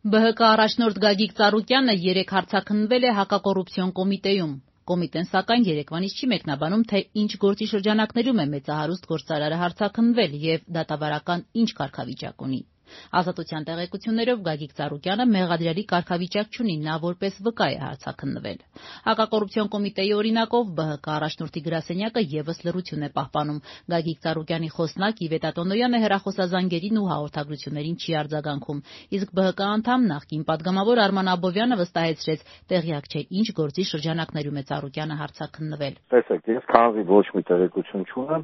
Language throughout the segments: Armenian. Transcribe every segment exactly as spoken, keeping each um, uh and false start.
Բ Հ Կ առաջնորդ Գագիկ Ծառուկյանը երեկ հարցաքննվել է հակակոռուպցիոն կոմիտեում։ Կոմիտեն սակայն երեկվանից չի մեկնաբանում, թե ինչ գործի շրջանակներում է մեծահարուստ գործարարը հարցաքննվել և դատավարական ինչ կարգավիճակ ունի։ Ազատության տեղեկություններով Գագիկ Ծառուկյանը մեղադրյալի կարգավիճակ չունի, նա որպես վկա է հարցաքննվել։ Հակակոռուպցիոն կոմիտեի օրինակով Բ Հ Կ առաջնորդի գրասենյակը ևս լռություն է պահպանում։ Գագիկ Ծառուկյանի խոսնակ Իվետա Տոնոյանը հեռախոսազանգերին ու հաղորդագրություններին չի արձագանքում, իսկ Բ Հ Կ անդամ նախկին պատգամավոր Արման Աբովյանը վստահեցրեց՝ տեղյակ չէ ինչ գործի շրջանակներում է Ծառուկյանը հարցաքննվել։ Տեսեք, ես քանզի ոչ մի տեղեկություն չունեմ,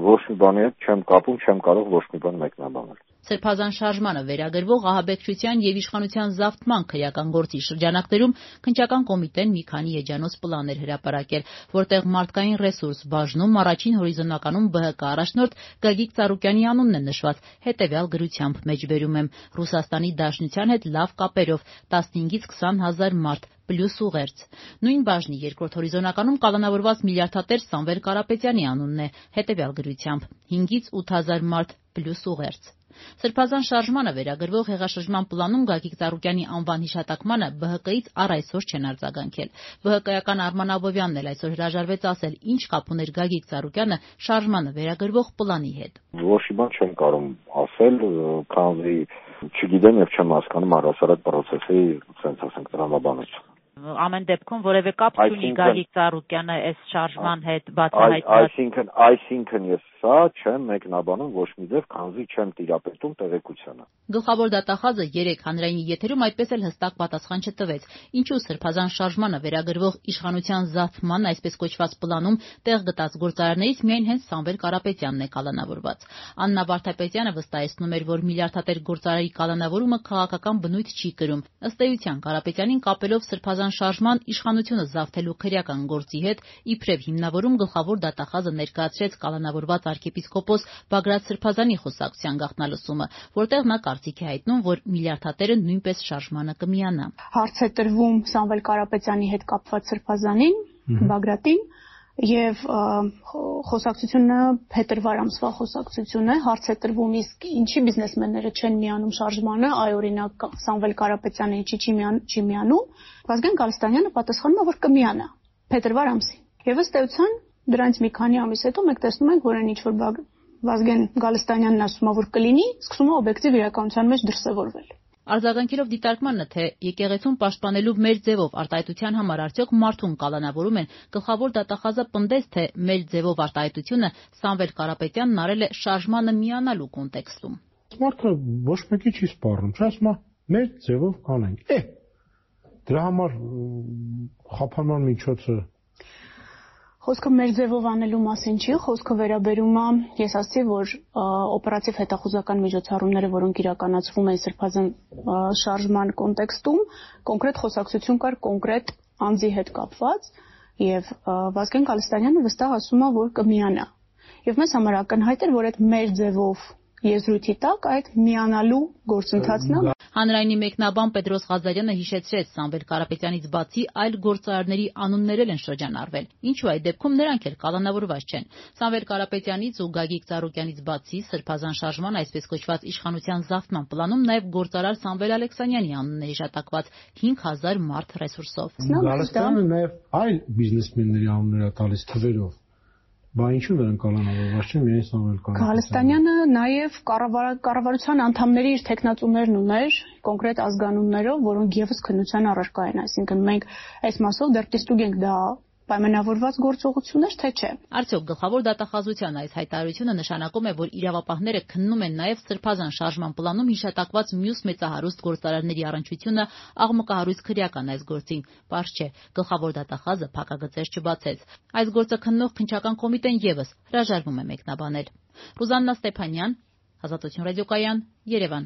ոչ մի բանի հետ չեմ կապում, չեմ կարող ոչ մի բան մեկնաբանել։ Սրբազան շարժմանը վերագրվող ահաբեկչության և իշխանության զավթման քրեական գործի շրջանակներում քննչական կոմիտեն մի քանի էջանոց պլան էր հրապարակել, որտեղ մարդկային ռեսուրս բաժնում առաջին հորիզոնականում Բ Հ Կ առաջնորդ Գագիկ Ծառուկյանի անունն է նշված, հետևյալ գրությամբ մեջբերում եմ. Ռուսաստանի Դաշնության հետ լավ կապերով տասնհինգից քսան հազար մարդ պլյուս ուղերձ։ Նույն բաժնի երկրորդ հորիզոնականում կալանավորված միլիարդատեր Սամվել Կարապետյանի անունն է, հետևյալ գրությամբ հինգից ութ հազար մարդ պլյուս ուղերձ։ Սրբազան շարժմանը վերագրվող հեղաշրջման պլանում Գագիկ Ծառուկյանի անվան հիշատակմանը Բ Հ Կ-ից առ այսօր չեն արձագանքել։ Վ Հ Կ-ական Արման Աբովյանն էլ այսօր հրաժարվեց ասել, ինչ կապ ուներ Գագիկ Ծառուկյանը շարժմանը վերագրվող պլանի հետ։ Ոչ մի բան չեմ կարող ասել, քանզի չգիտեմ եւ չեմ հասկանում առհասարակ պրոցեսի, ասենք ասենք տրամաբանություն։ Ամեն դեպքում որևէ կապ չունի Գագիկ Ծառուկյանը այս շարժման հետ բացահայտված։ Այսինքն, այսինքն ես սա չեմ մեկնաբանում ոչ մի ձև, քանզի չեմ տիրապետում տեղեկությանը։ Գլխավոր դատախազը երեկ հանրային եթերում այդպես էլ հստակ պատասխան չտվեց, ինչու սրբազան շարժմանը վերագրվող իշխանության զավթման այսպես կոչված պլանում տեղ գտած գործարարներից միայն հենց Սամվել Կարապետյանն է կալանավորված։ Աննա Վարդապետյանը վստահեցնում էր, որ միլիարդատեր գործարարի կալանավորումը քաղաքական բնույթ չի կրում։ Ըստ էության Կարապետյանին կապելով սրբազան շարժման իշխանությունը զավթելու քրեական գործի հետ իբրև հիմնավորում գլխավոր դատախազը ներկայացրեց կալանավորված arczepiskopos Բագրատ Սրբազանի խոսակցության գաղտնալսումը, որտեղ նա կարծիք է հայտնում, որ միլիարդատերը նույնպես շարժմանը կմիանա։ Հարց է տրվում Սամվել Կարապետյանի հետ կապված Սրբազանին, Բագրատին, եւ խոսակցությունը փետրվար ամսվա խոսակցություն է, հարց է տրվում իսկ ինչի բիզնեսմենները չեն միանում շարժմանը, այ օրինակ Սամվել Կարապետյանը ինչի չի միանում, Վազգեն Գալստանյանը պատասխանում է, որ կմիանա փետրվար ամսին։ Եվ ըստ էության դրանից մի քանի ամիս հետո մենք տեսնում ենք, որ այն ինչ որ Վազգեն Գալստանյանն ասում է, որ կլինի, սկսում է օբյեկտիվ իրականության մեջ դրսևորվել։ Արձագանքելով դիտարկմանը, թե եկեղեցուն պաշտպանելու մեր ձևով արտահայտության համար արդյոք մարդուն կալանավորում են, գլխավոր դատախազը պնդեց, թե մեր ձևով արտահայտությունը Սամվել Կարապետյանն արել է շարժմանը միանալու կոնտեքստում։ Մարդը ոչ մեկի չի սպառնում, չէ՞, ասում է մեր ձևով կանենք։ Է դրա համար խափանման միջոցը Խոսքը մեր ձևով անելու մասին չի, խոսքը վերաբերում է, ես ասացի, որ օպերատիվ հետախուզական միջոցառումները, որոնք իրականացվում են սրբազան շարժման կոնտեքստում, կոնկրետ խոսակցություն կար կոնկրետ անձի հետ կապված, եւ Վազգեն Գալստանյանը վստահ ասում է, որ կմիանա։ Եվ մեզ համար ակնհայտ էր, որ այդ մեր ձևով եզրույթի տակ այդ միանալու գործընթացն է։ Հանրայինի մեկնաբան Պետրոս Ղազարյանը հիշեցրեց Սամվել Կարապետյանից բացի այլ գործարարների անուններ են շրջանառվել, ինչու այդ դեպքում նրանք էլ կալանավորված չեն։ Սամվել Կարապետյանից ու Գագիկ Ծառուկյանից բացի սրբազան շարժման այսպես կոչված իշխանության զավթման պլանում նաև գործարար Սամվել Ալեքսանյանի անունն է հիշատակված հինգ հազար մարդ ռեսուրսով։ Գալստյանը նաև այլ բիզնեսմենների անուններ է տալիս թվերով։ Բա ինչու նրանք կալանավորված չեն, միայն Սամվել Կարապետյանը։ Գալստանյանը նաև կառավարության անդամների իր տեխնացուներն ուներ, կոնկրետ ազգանուններով, որոնք եւս քննության առարկա են, այսինքն մենք այս մասով դեռ դիստուկ ենք դա պայմանավորված գործողություններ, թե չէ։ Արդյոք գլխավոր դատախազության այս հայտարարությունը նշանակում է, որ իրավապահները քննում են նաև սրբազան շարժման պլանում հիշատակված մյուս մեծահարուստ գործարարների առնչությունը աղմկահարույց քրեական այս գործին։ Պարզ չէ, գլխավոր դատախազը փակագծեր չբացեց։ Այս գործը քննող քննչական կոմիտեն եւս հրաժարվում է մեկնաբանել։ Ռուզաննա Ստեփանյան, Ազատություն ռադիոկայան, Երևան։